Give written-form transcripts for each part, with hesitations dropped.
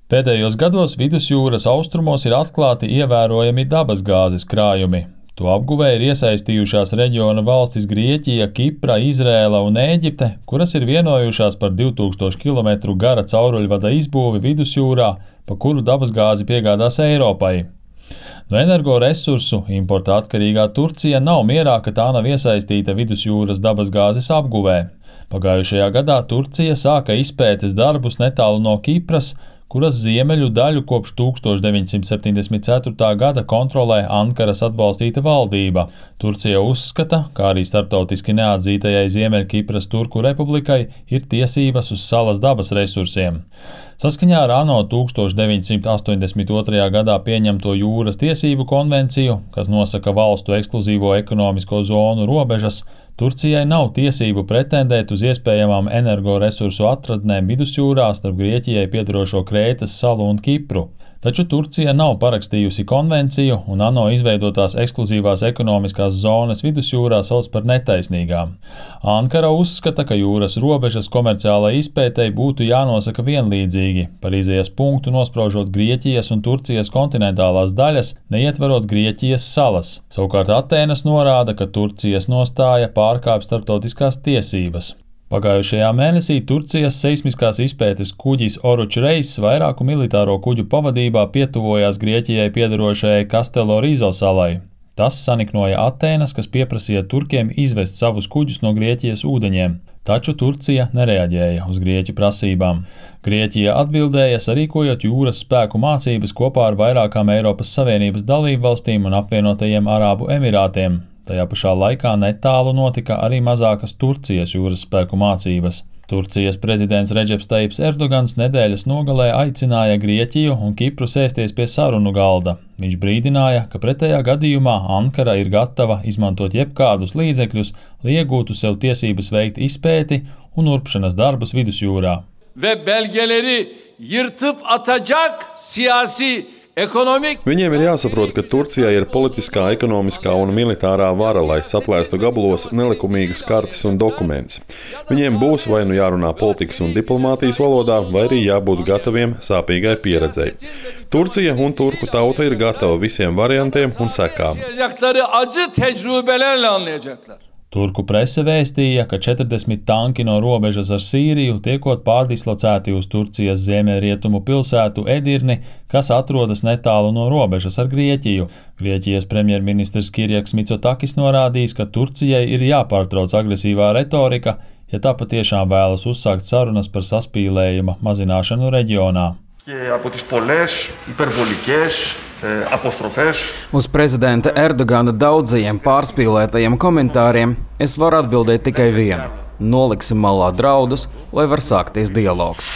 Pēdējos gados vidusjūras austrumos ir atklāti ievērojami dabasgāzes krājumi. To apguvē ir iesaistījušās reģiona valstis Grieķija, Kipra, Izrēla un Ēģipte, kuras ir vienojušās par 2000 km gara cauruļvada izbūvi vidusjūrā, pa kuru dabasgāzi piegādās Eiropai. No energoresursu importa atkarīgā Turcija nav mierā, ka tā nav iesaistīta vidusjūras dabasgāzes apguvē. Pagājušajā gadā Turcija sāka izpētes darbus netālu no Kipras, kuras ziemeļu daļu kopš 1974. gada kontrolē Ankaras atbalstīta valdība. Turcija uzskata, kā arī starptautiski neatzītajai Ziemeļkipras Turku republikai, ir tiesības uz salas dabas resursiem. Saskaņā ar ANO 1982. gadā pieņemto jūras tiesību konvenciju, kas nosaka valstu ekskluzīvo ekonomisko zonu robežas, Turcijai nav tiesību pretendēt uz iespējamām energoresursu atradnēm vidusjūrā starp Grieķijai piederošo Krētas salu un Kipru. Taču Turcija nav parakstījusi konvenciju, un ANO izveidotās ekskluzīvās ekonomiskās zonas vidusjūrā sauc par netaisnīgām. Ankara uzskata, ka jūras robežas komerciālai izpētei būtu jānosaka vienlīdzīgi, par izējas punktu nospraužot Grieķijas un Turcijas kontinentālās daļas, neietverot Grieķijas salas. Savukārt Atēnas norāda, ka Turcijas nostāja pārkāpj starptautiskās tiesības. Pagājušajā mēnesī Turcijas seismiskās izpētes kuģis Oruč Reis vairāku militāro kuģu pavadībā pietuvojās Grieķijai piederošajai Kastelo Rizo salai. Tas saniknoja Atēnas, kas pieprasīja turkiem izvest savus kuģus no Grieķijas ūdeņiem, taču Turcija nereaģēja uz Grieķu prasībām. Grieķija atbildēja, sarīkojot jūras spēku mācības kopā ar vairākām Eiropas Savienības dalībvalstīm un apvienotajiem Arābu Emirātiem. Tajā pašā laikā netālu notika arī mazākas Turcijas jūras spēku mācības. Turcijas prezidents Redžeps Tajips Erdogans nedēļas nogalē aicināja Grieķiju un Kipru sēsties pie sarunu galda. Viņš brīdināja, ka pretējā gadījumā Ankara ir gatava izmantot jebkādus līdzekļus, lai iegūtu sev tiesības veikt izpēti un urpšanas darbus vidusjūrā. Ve belgeleri yırtıp atacak siyasi Viņiem ir jāsaprot, ka Turcijai ir politiskā, ekonomiskā un militārā vara, lai saplēstu gabalos nelikumīgas kartes un dokumentus. Viņiem būs vai nu jārunā politikas un diplomātijas valodā, vai arī jābūt gataviem sāpīgai pieredzei. Turcija un turku tauta ir gatava visiem variantiem un sekām. Turku prese vēstīja, ka 40 tanki no robežas ar Sīriju tiekot pārdislocēti uz Turcijas ziemeļrietumu pilsētu Edirni, kas atrodas netālu no robežas ar Grieķiju. Grieķijas premjerministrs Kirjaks Mitsotakis norādījis, ka Turcijai ir jāpārtrauc agresīvā retorika, ja tā patiešām vēlas uzsākt sarunas par saspīlējuma mazināšanu reģionā. Uz prezidenta Erdogana daudzajiem pārspīlētajiem komentāriem es varu atbildēt tikai vienu. Noliksim malā draudus, lai var sākties dialogs.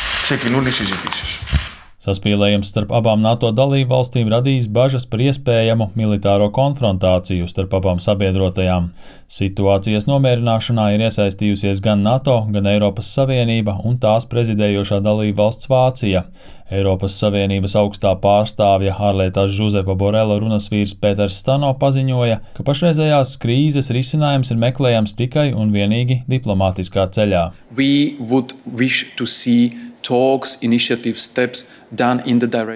Saspīlējums starp abām NATO dalībvalstīm radījis bažas par iespējamu militāro konfrontāciju starp abām sabiedrotajām. Situācijas nomierināšanā ir iesaistījusies gan NATO, gan Eiropas Savienība un tās prezidējošā dalībvalsts Vācija. Eiropas Savienības augstā pārstāvja ārlietās Žuzepa Borela runas vīrs Pēters Stano paziņoja, ka pašreizējās krīzes risinājums ir meklējams tikai un vienīgi diplomātiskā ceļā.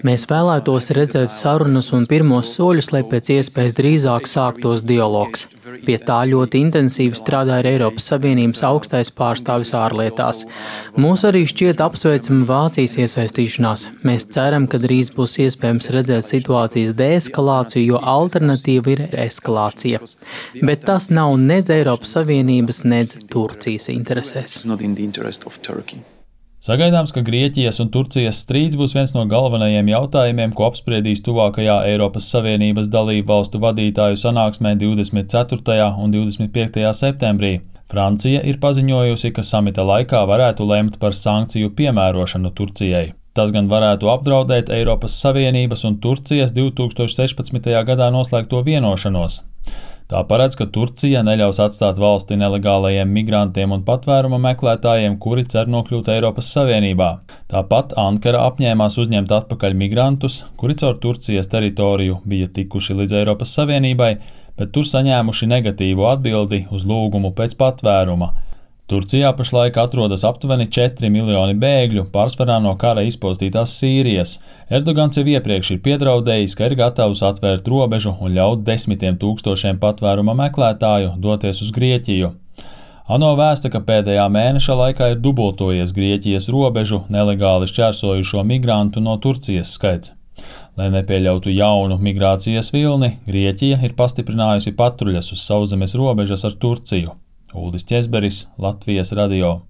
Mēs vēlētos redzēt sarunas un pirmos soļus, lai pēc iespējas drīzāk sāktos dialogs. Pie tā ļoti intensīvi strādā Eiropas Savienības augstais pārstāvis ārlietās. Mūs arī šķiet apsveicama Vācijas iesaistīšanās. Mēs ceram, ka drīz būs iespējams redzēt situācijas deeskalāciju, jo alternatīva ir eskalācija. Bet tas nav nedz Eiropas Savienības, nedz Turcijas interesēs. Sagaidāms, ka Grieķijas un Turcijas strīds būs viens no galvenajiem jautājumiem, ko apspriedīs tuvākajā Eiropas Savienības dalību valstu vadītāju sanāksmē 24. un 25. septembrī. Francija ir paziņojusi, ka samita laikā varētu lemt par sankciju piemērošanu Turcijai. Tas gan varētu apdraudēt Eiropas Savienības un Turcijas 2016. gadā noslēgto vienošanos. Tā paredz, ka Turcija neļaus atstāt valsti nelegālajiem migrantiem un patvēruma meklētājiem, kuri cer nokļūt Eiropas Savienībā. Tāpat Ankara apņēmās uzņemt atpakaļ migrantus, kuri caur Turcijas teritoriju bija tikuši līdz Eiropas Savienībai, bet tur saņēmuši negatīvu atbildi uz lūgumu pēc patvēruma. Turcijā pašlaik atrodas aptuveni 4 miljoni bēgļu, pārsvarā no kara izpostītās Sīrijas. Erdogans jau iepriekš ir piedraudējis, ka ir gatavs atvērt robežu un ļaut 10 000 patvēruma meklētāju doties uz Grieķiju. ANO vēsta, ka pēdējā mēneša laikā ir dubultojies Grieķijas robežu nelegāli šķērsojušo migrantu no Turcijas skaits. Lai nepieļautu jaunu migrācijas vilni, Grieķija ir pastiprinājusi patruļas uz sauszemes robežas ar Turciju. Uldis Ķezberis, Latvijas radio.